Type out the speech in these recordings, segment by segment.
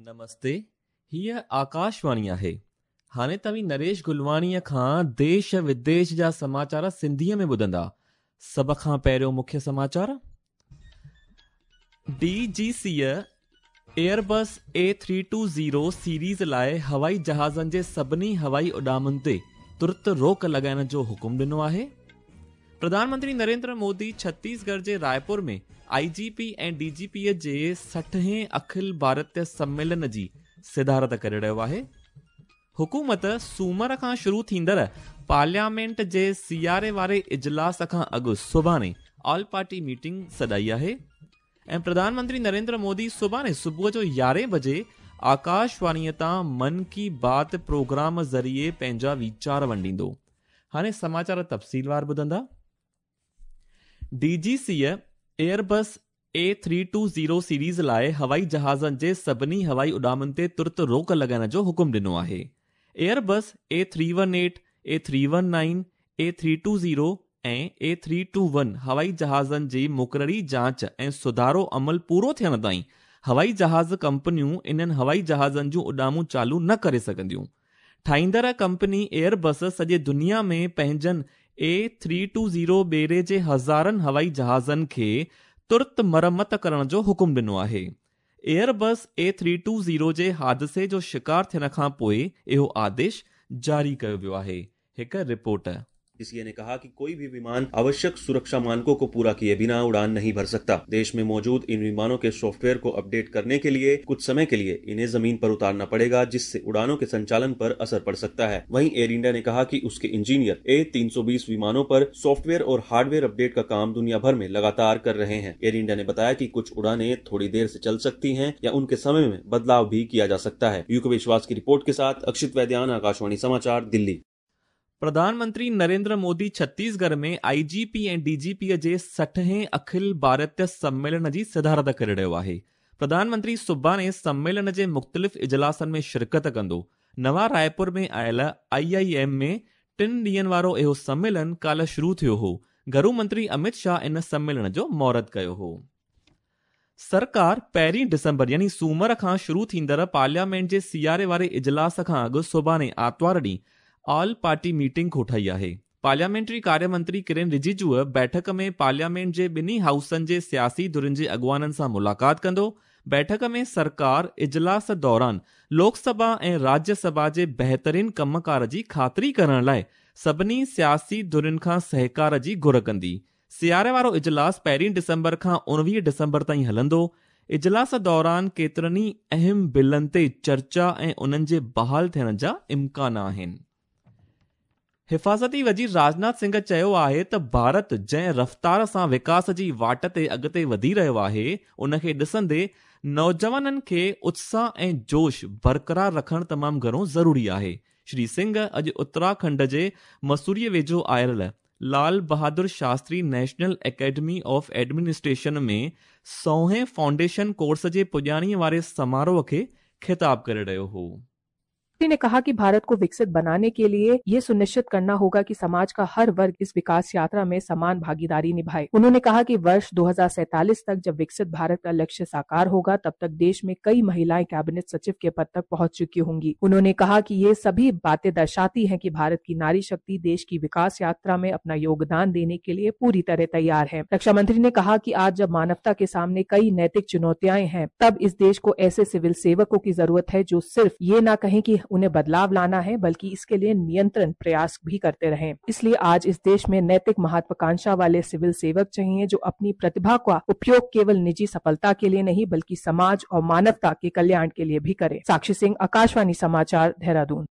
نمستي، هيء آڪاشواڻي آهي. هاڻي توهين نريش گلواڻيء کان ديش وديش جا سماچار سنڌيء ۾ ٻڌندا. سڀ کان پهريون مکيه سماچار. ڊي جي سيء ايئربس اي 320 سيريز لاء هوائي جهازن جي سڀني هوائي اڏامن تي ترت روڪ لڳائڻ جو حڪم ڏنو آهي. پرڌان منتري نريندر مودي ڇتيسڳڙهه جي رائپور ۾ آء جي پي ۽ ڊي جي پي جي 60 هين اکل ڀارتيه سميلن جي صدارت ڪري رهيو آهي. حڪومت سومر کان شروع ٿيندڙ پارليامينٽ جي سياري واري اجلاس کان اڳ سڀاڻي آل پارٽي ميٽنگ سڏائي آهي ۽ پرڌان منتري نريندر مودي سڀاڻي صبح جو يارهين بجي آڪاشواڻي تان من ڪي بات پروگرام ذريعي پنهنجا ويچار ونڊيندو. هاڻي سماچار تفصيلوار ٻڌندا. ڊي جي سيء ايئربس اي 320 سيريز لاء هوائي جهازن جي سڀني هوائي اڏامن تي ترت روڪ لڳائڻ جو حڪم ڏنو آهي. Airbus A 318، A 319، A 320 ۽ A 321 هوائي جهازن جي مقرري جاچ ۽ سڌارو عمل پورو ٿيڻ تائين هوائي جهاز ڪمپنيون انهن هوائي جهازن جون اڏامون چالو نه ڪري سگهنديون. ٺاهيندڙ ڪمپني ايئربس سڄي دنيا ۾ پنهنجن اي 320 ٻيڙي جي هزارن هوائي جهازن کي ترت مرمت ڪرڻ جو حڪم ڏنو آهي. ايئربس اي 320 جي حادثي جو شڪار ٿيڻ کان پوء اهو آديش جاري ڪيو ويو آهي. هڪ رپورٽ. सी ने कहा कि कोई भी विमान आवश्यक सुरक्षा मानकों को पूरा किए बिना उड़ान नहीं भर सकता। देश में मौजूद इन विमानों के सॉफ्टवेयर को अपडेट करने के लिए कुछ समय के लिए इन्हें जमीन पर उतारना पड़ेगा, जिससे उड़ानों के संचालन पर असर पड़ सकता है। वहीं एयर इंडिया ने कहा कि उसके इंजीनियर ए 320 विमानों पर सॉफ्टवेयर और हार्डवेयर अपडेट का काम दुनिया भर में लगातार कर रहे हैं। एयर इंडिया ने बताया कि कुछ उड़ानें थोड़ी देर से चल सकती हैं या उनके समय में बदलाव भी किया जा सकता है। यूके विश्वास की रिपोर्ट के साथ अक्षित वैद्यान, आकाशवाणी समाचार, दिल्ली। پرڌان منتري نريندر مودي ڇتيسڳڙهه ۾ آء جي پي ۽ ڊي جي پي جي 60 هين اکل ڀارتيه سميلن جي صدارت ڪري رهيو آهي. پرڌان منتري سڀاڻي سميلن جي مختلف اجلاسن ۾ شرڪت ڪندو. نوان رائپور ۾ آيل آء I M ۾ ٽن ڏينهن وارو اهو سميلن ڪالهه شروع ٿيو هو. گهرو منتري امت شاهه ان سميلن جو مهورت ڪيو هو. سرڪار پهرين ڊسمبر يعني سومر کان شروع ٿيندڙ پارليامينٽ جي سياري واري اجلاس کان اڳ سڀاڻي آرتوار ڏينهن آل پارٽي ميٽنگ ڪوٺائي آهي. پارليامينٽري ڪاريه منتري ڪرين رجيجوء بيٺڪ ۾ پارليامينٽ جي ٻنهي هائوسن جي سياسي ڌرين جي اڳواڻن سان ملاقات ڪندو. بيٺڪ ۾ سرڪار اجلاس دوران لوڪ سڀا ۽ راجيه سڀا جي بهترين ڪم ڪار جي خاطري ڪرڻ لاء سڀني سياسي ڌرين کان سهڪار جي گهر ڪندي. سياري وارو اجلاس پهرين ڊسمبر کان 19 ڊسمبر تائين هلندو. اجلاس دوران ڪيترن ئي اهم بلن تي چرچا ۽ انهن جي بحال ٿيڻ جا امڪان آهن. حفاظتي وزير راجناٿ سنگهه چيو آهي ته ڀارت جنهن رفتار سان وڪاس جي واٽ تي اڳتي وڌي رهيو آهي ان کي ڏسندي نوجوانن کي اتساهه ۽ جوش برقرار رکڻ تمام گهڻو ضروري آهي. شري سنگهه اڄ اتراکنڊ جي مسوريء ويجهو آيل Lal Bahadur Shastri national academy of administration ۾ سوهين foundation course جي پڄاڻيء واري سماروهه کي خطاب ڪري رهيو هو. ने कहा कि भारत को विकसित बनाने के लिए ये सुनिश्चित करना होगा कि समाज का हर वर्ग इस विकास यात्रा में समान भागीदारी निभाए। उन्होंने कहा कि वर्ष 2047 तक जब विकसित भारत का लक्ष्य साकार होगा तब तक देश में कई महिलाएं कैबिनेट सचिव के पद तक पहुंच चुकी होंगी। उन्होंने कहा कि ये सभी बातें दर्शाती हैं कि भारत की नारी शक्ति देश की विकास यात्रा में अपना योगदान देने के लिए पूरी तरह तैयार है। रक्षा मंत्री ने कहा कि आज जब मानवता के सामने कई नैतिक चुनौतियां हैं तब इस देश को ऐसे सिविल सेवकों की जरूरत है जो सिर्फ ये न कहें कि उन्हें बदलाव लाना है बल्कि इसके लिए नियंत्रण प्रयास भी करते रहें। इसलिए आज इस देश में नैतिक महत्वाकांक्षा वाले सिविल सेवक चाहिए जो अपनी प्रतिभा का उपयोग केवल निजी सफलता के लिए नहीं बल्कि समाज और मानवता के कल्याण के लिए भी करें। साक्षी सिंह, आकाशवाणी समाचार, देहरादून।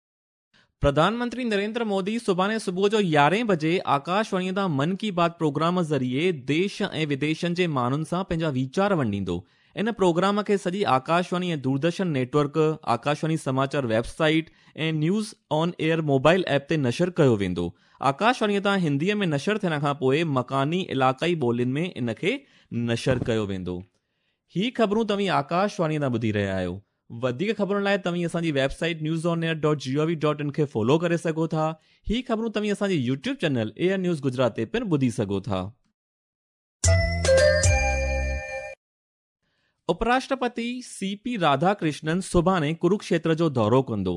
پرڌان منتري نريندر مودي سڀاڻي صبح جو يارهين بجي آڪاشواڻيء تان من ڪي بات پروگرام ذريعي ديش ۽ وديشن جي ماڻهن سان پنهنجا ويچار ونڊيندو. ان پروگرام کي سڄي Akashvani ۽ Doordarshan net work, Akashvani Samachar web site ۽ news on air mobile app تي نشر ڪيو ويندو. آڪاشواڻيء تان هنديء ۾ نشر ٿيڻ کان پوء مڪاني علائقائي ٻولين ۾ ان کي نشر ڪيو ويندو. هي خبرون توهين آڪاشواڻيء تان ٻڌي رهيا آهيو. وڌيڪ خبرن لاء توهين اسان جي web site news on air dot G O V dot in کي فالو ڪري سگهو ٿا. هي خبرون توهين اسان جي YouTube channel air news Gujarat تي پڻ ٻڌي سگهو ٿا. اپراشٽرپتي سي پي راڌاڪرشنن سڀاڻي ڪروڪشيتر جو دورو ڪندو.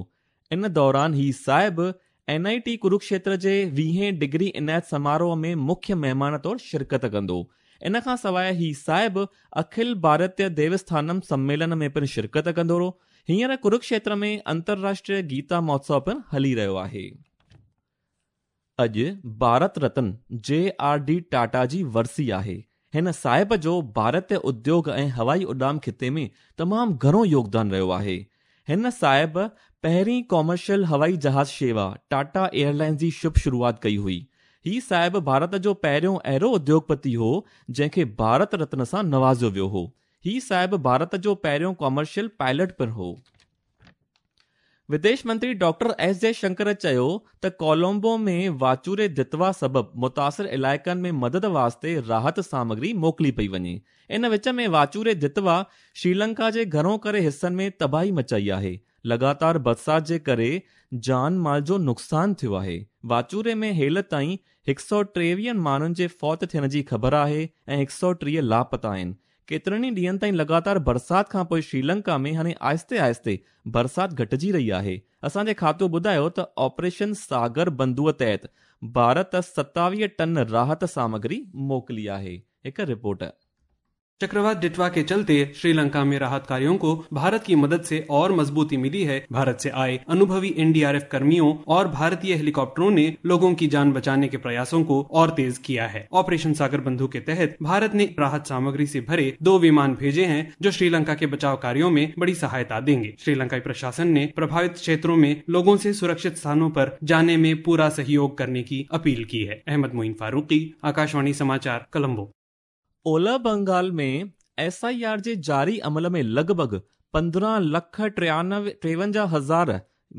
ان دوران هي صاحب اين I ٽي ڪروڪشيتر جي ويهين ڊگري عنايت سماروهه ۾ مکيه مهمان طور شرڪت ڪندو. ان کان سواء هي صاحب اکل ڀارتيه ديوسٿانم سميلن ۾ پڻ شرڪت ڪندو. هينئر ڪروڪشيتر ۾ انترراشٽريه گيتا مهوتسو پڻ هلي رهيو آهي. اڄ Bharat Ratna J R D Tata جي ورسي آهي. هن صاحب جو ڀارتي اديوگ ۽ هوائي اڏام خطي ۾ تمام گهڻو يوگدان رهيو آهي. هن صاحب پهرين ڪمرشل هوائي جهاز شيوا ٽاٽا ايئرلائنز جي شڀ شروعات ڪئي هئي. هي صاحب ڀارت جو پهريون اهڙو اديوگپتي هو جنهن کي ڀارت رتن سان نوازيو ويو هو. هي صاحب ڀارت جو پهريون ڪمرشل پائلٽ پڻ هو. وديش منتري ڊاڪٽر ايس جئه شنڪر چيو ته ڪولمبو ۾ واچوڙي دتوا سبب متاثر علائقن ۾ مدد واسطي راحت سامگري موڪلي پئي وڃي. ان وچ ۾ واچوڙي دتوا شريلنڪا جي گهڻو ڪري حصن ۾ تباهي مچائي آهي. لڳاتار برسات جي ڪري جان مال جو نقصان ٿيو آهي. واچوڙي ۾ هيل تائين هڪ سئو ٽيويهن ماڻهن جي فوت ٿيڻ جي خبر آهي ۽ هڪ سئو 30 لاپتا آهن. ڪيترن ئي ڏينهن تائين لڳاتار برسات کانپوء شريلنڪا ۾ هاڻي آهستي آهستي برسات گهٽجي رهي آهي. اسان جي کاتو ٻڌايو ته آپريشن ساگر بنڌو تحت ڀارت 27 ٽن راحت سامگري موڪلي آهي. هڪ رپورٽ. चक्रवात डिटवा के चलते श्रीलंका में राहत कार्यों को भारत की मदद से और मजबूती मिली है। भारत से आए अनुभवी एनडीआरएफ कर्मियों और भारतीय हेलीकॉप्टरों ने लोगों की जान बचाने के प्रयासों को और तेज किया है। ऑपरेशन सागर बंधु के तहत भारत ने राहत सामग्री से भरे 2 विमान भेजे हैं, जो श्रीलंका के बचाव कार्यों में बड़ी सहायता देंगे। श्रीलंकाई प्रशासन ने प्रभावित क्षेत्रों में लोगों से सुरक्षित स्थानों पर जाने में पूरा सहयोग करने की अपील की है। अहमद मोइन फारूकी, आकाशवाणी समाचार, कोलंबो। ओलह बंगाल में एस I R जे जारी अमल में लॻ भॻ पंद्रहं लख टेवंजाह हज़ार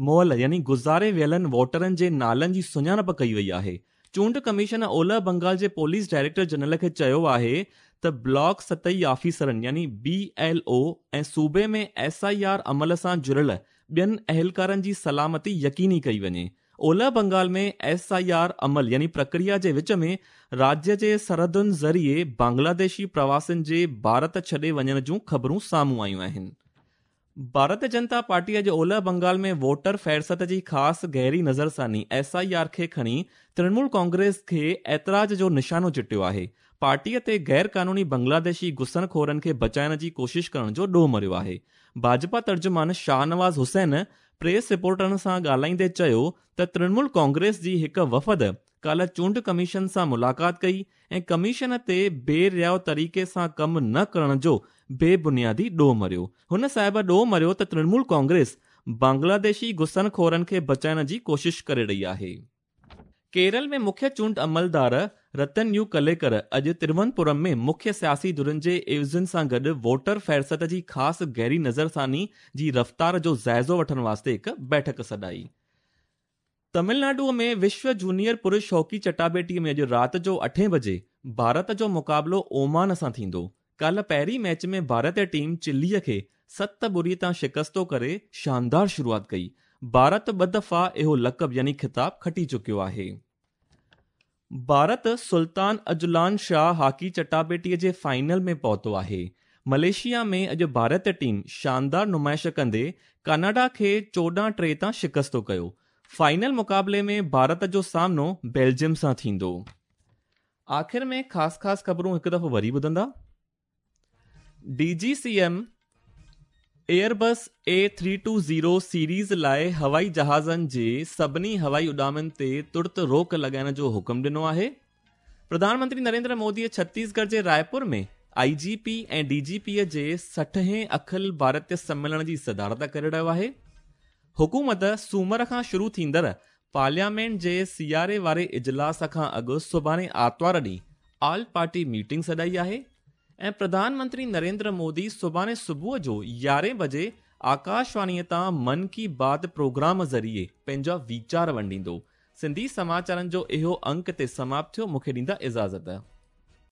मुअल यानी गुज़ारे वियलनि वोटरनि जे नालनि जी सुञाणप कई वई आहे। चूंड कमीशन ओलह बंगाल जे पुलिस डायरेक्टर जनरल खे चयो आहे त ब्लॉक सतही ऑफिसरनि यानी बी एल ओ ऐं सूबे में एस I R अमल सां जुड़ियल ॿियनि अहलकारनि जी सलामती यकीनी कई वञे। ओलह बंगाल में एस I R अमल यानी प्रक्रिया जे विच में राज्य जे सरहदुनि ज़रिए बांग्लादेशी प्रवासियुनि जे भारत छॾे वञण जूं ख़बरूं साम्हूं आयूं आहिनि। भारतीय जनता पार्टी अॼु ओलह बंगाल में वोटर फ़हरिस्त जी ख़ासि गहरी नज़रसानी एस I R खे खणी तृणमूल कांग्रेस खे एतराज़ जो निशानो चिटियो आहे। पार्टीअ ते गैर क़ानूनी बांग्लादेशी घुसणखोरनि खे बचाइण जी कोशिश करण जो ॾोह मरियो आहे। भाजपा तर्जुमान शाहनवाज़ हुसैन प्रेस रिपोर्टरनि सां ॻाल्हाईंदे चयो त तृणमूल कांग्रेस जी हिकु वफ़द काल्ह चूंड कमीशन सां मुलाक़ात कई ऐं कमीशन ते बेरियाव तरीक़े सां कमु न करण जो बेबुनियादी ॾोह मरियो। हुन साहिब ॾोह मरियो त तृणमूल कांग्रेस बांग्लादेशी घुसणखोरनि खे बचाइण जी कोशिश करे रही आहे। केरल में मुख्य चूंड अमलदार रतन you कलेकर अॼु तिरुवनंतपुरम में मुख्य सियासी धुरनि जे एवज़नि सां गॾु वोटर फ़हरिस्त जी ख़ासि गहरी नज़रसानी जी रफ़्तार जो जाइज़ो वठण वास्ते हिकु बैठक सॾाई। तमिलनाडु में विश्व जूनियर पुरुष हॉकी चटाबेटी में अॼु राति जो 8 बजे भारत जो मुक़ाबिलो ओमान सां थींदो। काल्ह पहिरीं मैच में भारतीय टीम चिलीअ खे 7-0 तां शिकस्तो करे शानदार शुरूआत कई। भारत 2 दफ़ा इहो लक़ब यानी ख़िताब खटी चुकियो आहे। Bharat Sultan Azlan Shah hockey चटाबेटीअ जे फाइनल में पहुतो आहे। मलेशिया में अॼु भारतीय टीम शानदार नुमाइश कंदे कनाडा खे 14-3 तां शिकस्तो कयो। फाइनल मुक़ाबले में भारत जो सामनो बेल्जियम सां थींदो। आख़िर में ख़ासि ख़ासि ख़बरूं हिकु दफ़ो वरी ॿुधंदा। DGCM Airbus A320 series लाइ हवाई जहाज़नि जे सभिनी हवाई उॾामनि ते तुर्त रोक लॻाइण जो हुकुम ॾिनो आहे। प्रधानमंत्री नरेंद्र मोदीअ छत्तीसगढ़ जे रायपुर में आईजीपी ऐं डीजीपीअ जे 60हें अखिल भारतीय सम्मेलन जी सदारत करे रहियो आहे। हुकूमत सूमर खां शुरू थींदड़ पार्लियामेंट जे सियारे वारे इजलास खां अॻु सुभाणे आतिवार ॾींहुं ऑल पार्टी मीटिंग सॾाई आहे ऐं प्रधानमंत्री नरेंद्र मोदी सुभाणे सुबुह जो 11 बजे आकाशवाणीअ तां मन की बात प्रोग्राम ज़रिए पंहिंजा वीचार वंडींदो। सिंधी समाचारनि जो इहो अंक ते समाप्त थियो। मूंखे ॾींदा इजाज़त।